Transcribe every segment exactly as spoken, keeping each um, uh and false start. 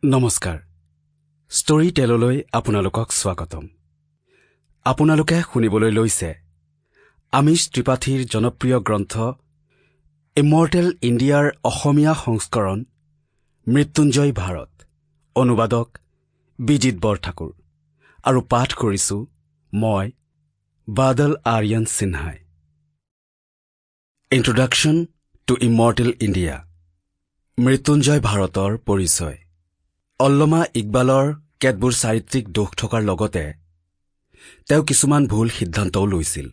নমস্কাৰ ষ্টৰী টেললৈ আপোনালোকক স্বাগতম আপোনালোকে শুনিবলৈ লৈছে আমিষ ত্ৰিপাঠীৰ জনপ্ৰিয় গ্ৰন্থ ইমৰ্টেল ইণ্ডিয়াৰ অসমীয়া সংস্কৰণ মৃত্যুঞ্জয় ভাৰত অনুবাদক বিজিত বৰঠাকুৰ আৰু পাঠ কৰিছো মই বাদল আৰ্যন সিনহাই introduction to immortal India Mrityunjay ভাৰতৰ পৰিচয় আল্লামা ইকবালৰ কেতবোৰ চাৰিত্ৰিক দোষ থকাৰ লগতে তেওঁ কিছুমান ভুল সিদ্ধান্তও লৈছিল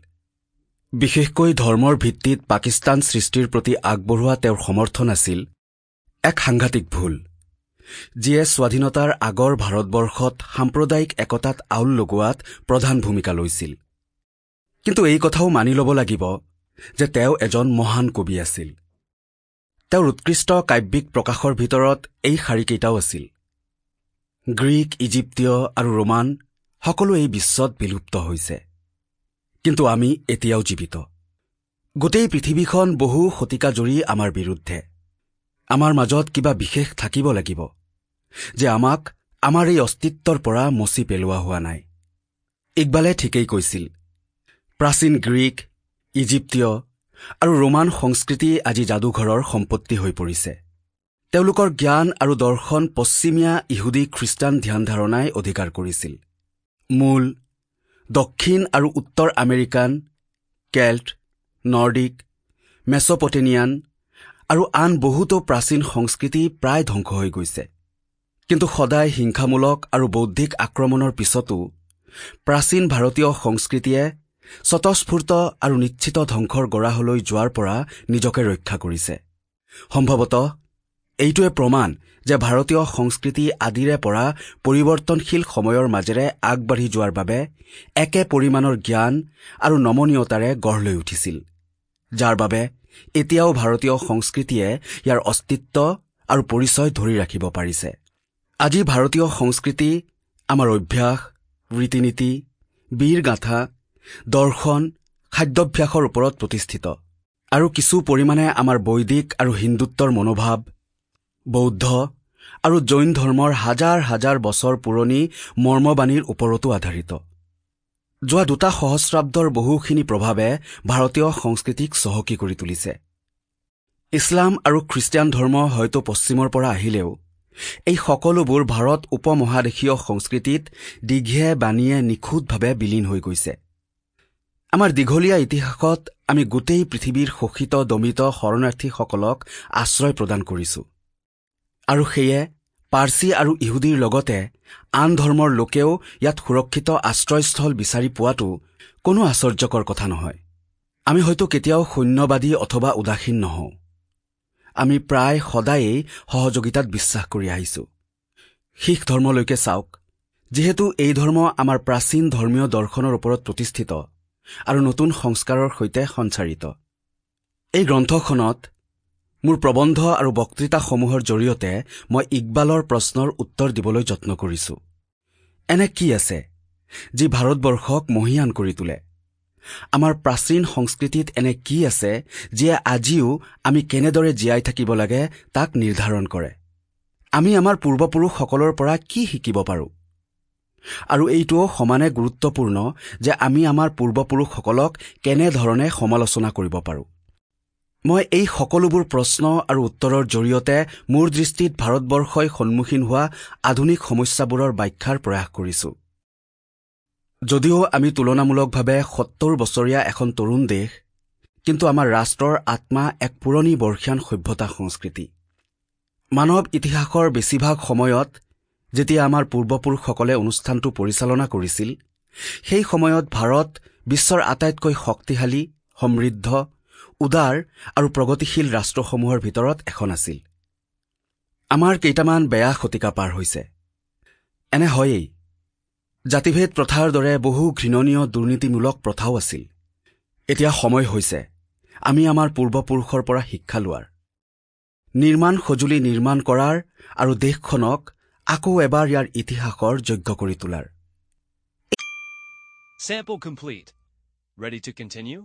বিশেষকৈ ধৰ্মৰ ভিত্তিত পাকিস্তান সৃষ্টিৰ প্ৰতি আগবঢ়োৱা তেওঁৰ সমৰ্থন আছিল এক সাংঘাতিক ভুল যিয়ে স্বাধীনতাৰ আগৰ ভাৰতবৰ্ষত সাম্প্ৰদায়িক একতাত আউল লগোৱাত প্ৰধান ভূমিকা লৈছিল কিন্তু এই কথাও মানি ল'ব লাগিব যে তেওঁ এজন মহান কবি আছিল তেওঁৰ উৎকৃষ্ট কাব্যিক প্ৰকাশৰ ভিতৰত এই শাৰীকেইটাও আছিল গ্ৰীক ইজিপ্তীয় আৰু ৰোমান সকলো এই বিশ্বত বিলুপ্ত হৈছে কিন্তু আমি এতিয়াও জীৱিত গোটেই পৃথিৱীখন বহু শতিকা জুৰি আমাৰ বিৰুদ্ধে আমাৰ মাজত কিবা বিশেষ থাকিব লাগিব যে আমাক আমাৰ এই অস্তিত্বৰ পৰা মচি পেলোৱা হোৱা নাই ইকবালে ঠিকেই কৈছিল প্ৰাচীন গ্ৰীক ইজিপ্তীয় আৰু ৰোমান সংস্কৃতি আজি যাদুঘৰৰ সম্পত্তি হৈ পৰিছে তেওঁলোকৰ জ্ঞান আৰু দৰ্শন পশ্চিমীয়া ইহুদী খ্ৰীষ্টান ধ্যান ধাৰণাই অধিকাৰ কৰিছিল মূল দক্ষিণ আৰু উত্তৰ আমেৰিকান কেল্ট নৰ্ডিক মেছপটেনিয়ান আৰু আন বহুতো প্ৰাচীন সংস্কৃতি প্ৰায় ধ্বংস হৈ গৈছে কিন্তু সদায় হিংসামূলক আৰু বৌদ্ধিক আক্ৰমণৰ পিছতো প্ৰাচীন ভাৰতীয় সংস্কৃতিয়ে স্বতঃস্ফূৰ্ত আৰু নিশ্চিত ধ্বংসৰ গৰাহলৈ যোৱাৰ পৰা নিজকে ৰক্ষা কৰিছে সম্ভৱতঃ এইটোৱে প্ৰমাণ যে ভাৰতীয় সংস্কৃতি আদিৰে পৰা পৰিৱৰ্তনশীল সময়ৰ মাজেৰে আগবাঢ়ি যোৱাৰ বাবে একে পৰিমাণৰ জ্ঞান আৰু নমনীয়তাৰে গঢ় লৈ উঠিছিল যাৰ বাবে এতিয়াও ভাৰতীয় সংস্কৃতিয়ে ইয়াৰ অস্তিত্ব আৰু পৰিচয় ধৰি ৰাখিব পাৰিছে আজি ভাৰতীয় সংস্কৃতি আমাৰ অভ্যাস ৰীতি-নীতি বীৰগাথা দৰ্শন খাদ্যাভ্যাসৰ ওপৰত প্ৰতিষ্ঠিত আৰু কিছু পৰিমাণে আমাৰ বৈদিক আৰু হিন্দুত্বৰ মনোভাৱ বৌদ্ধ আৰু জৈন ধৰ্মৰ হাজাৰ হাজাৰ বছৰ পুৰণি মৰ্মবাণীৰ ওপৰতো আধাৰিত যোৱা দুটা সহস্ৰাব্দৰ বহুখিনি প্ৰভাৱে ভাৰতীয় সংস্কৃতিক চহকী কৰি তুলিছে ইছলাম আৰু খ্ৰীষ্টিয়ান ধৰ্ম হয়তো পশ্চিমৰ পৰা আহিলেও এই সকলোবোৰ ভাৰত উপমহাদেশীয় সংস্কৃতিত দীঘে বাণীয়ে নিখুঁতভাৱে বিলীন হৈ গৈছে আমাৰ দীঘলীয়া ইতিহাসত আমি গোটেই পৃথিৱীৰ শোষিত দমিত শৰণাৰ্থীসকলক আশ্ৰয় প্ৰদান কৰিছো আৰু সেয়ে পাৰ্চী আৰু ইহুদীৰ লগতে আন ধৰ্মৰ লোকেও ইয়াত সুৰক্ষিত আশ্ৰয়স্থল বিচাৰি পোৱাটো কোনো আশ্চৰ্যকৰ কথা নহয় আমি হয়তো কেতিয়াও শূন্যবাদী অথবা উদাসীন নহওঁ আমি প্ৰায় সদায়েই সহযোগিতাত বিশ্বাস কৰি আহিছো শিখ ধৰ্মলৈকে চাওক যিহেতু এই ধৰ্ম আমাৰ প্ৰাচীন ধৰ্মীয় দৰ্শনৰ ওপৰত প্ৰতিষ্ঠিত আৰু নতুন সংস্কাৰৰ সৈতে সঞ্চাৰিত এই গ্ৰন্থখনত মোৰ প্ৰবন্ধ আৰু বক্তৃতাসমূহৰ জৰিয়তে মই ইকবালৰ প্ৰশ্নৰ উত্তৰ দিবলৈ যত্ন কৰিছো এনে কি আছে যি ভাৰতবৰ্ষক মহীয়ান কৰি তোলে আমাৰ প্ৰাচীন সংস্কৃতিত এনে কি আছে যিয়ে আজিও আমি কেনেদৰে জীয়াই থাকিব লাগে তাক নিৰ্ধাৰণ কৰে আমি আমাৰ পূৰ্বপুৰুষসকলৰ পৰা কি শিকিব পাৰোঁ আৰু এইটোও সমানে গুৰুত্বপূৰ্ণ যে আমি আমাৰ পূৰ্বপুৰুষসকলক কেনেধৰণে সমালোচনা কৰিব পাৰোঁ মই এই সকলোবোৰ প্ৰশ্ন আৰু উত্তৰৰ জৰিয়তে মোৰ দৃষ্টিত ভাৰতবৰ্ষই সন্মুখীন হোৱা আধুনিক সমস্যাবোৰৰ ব্যাখ্যাৰ প্ৰয়াস কৰিছো যদিও আমি তুলনামূলকভাৱে সত্তৰ বছৰীয়া এখন তৰুণ দেশ কিন্তু আমাৰ ৰাষ্ট্ৰৰ আত্মা এক পুৰণি বৰ্ষীয়ান সভ্যতা সংস্কৃতি মানৱ ইতিহাসৰ বেছিভাগ সময়ত যেতিয়া আমাৰ পূৰ্বপুৰুষসকলে অনুষ্ঠানটো পৰিচালনা কৰিছিল সেই সময়ত ভাৰত বিশ্বৰ আটাইতকৈ শক্তিশালী সমৃদ্ধ উদাৰ আৰু প্ৰগতিশীল ৰাষ্ট্ৰসমূহৰ ভিতৰত এখন আছিল আমাৰ কেইটামান বেয়া শতিকা পাৰ হৈছে এনে হয়েই জাতিভেদ প্ৰথাৰ দৰে বহু ঘৃণনীয় দুৰ্নীতিমূলক প্ৰথাও আছিল এতিয়া সময় হৈছে আমি আমাৰ পূৰ্বপুৰুষৰ পৰা শিক্ষা লোৱাৰ নিৰ্মাণ সঁজুলি নিৰ্মাণ কৰাৰ আৰু দেশখনক আকৌ এবাৰ ইয়াৰ ইতিহাসৰ যোগ্য কৰি তোলাৰ Sample complete. Ready to continue?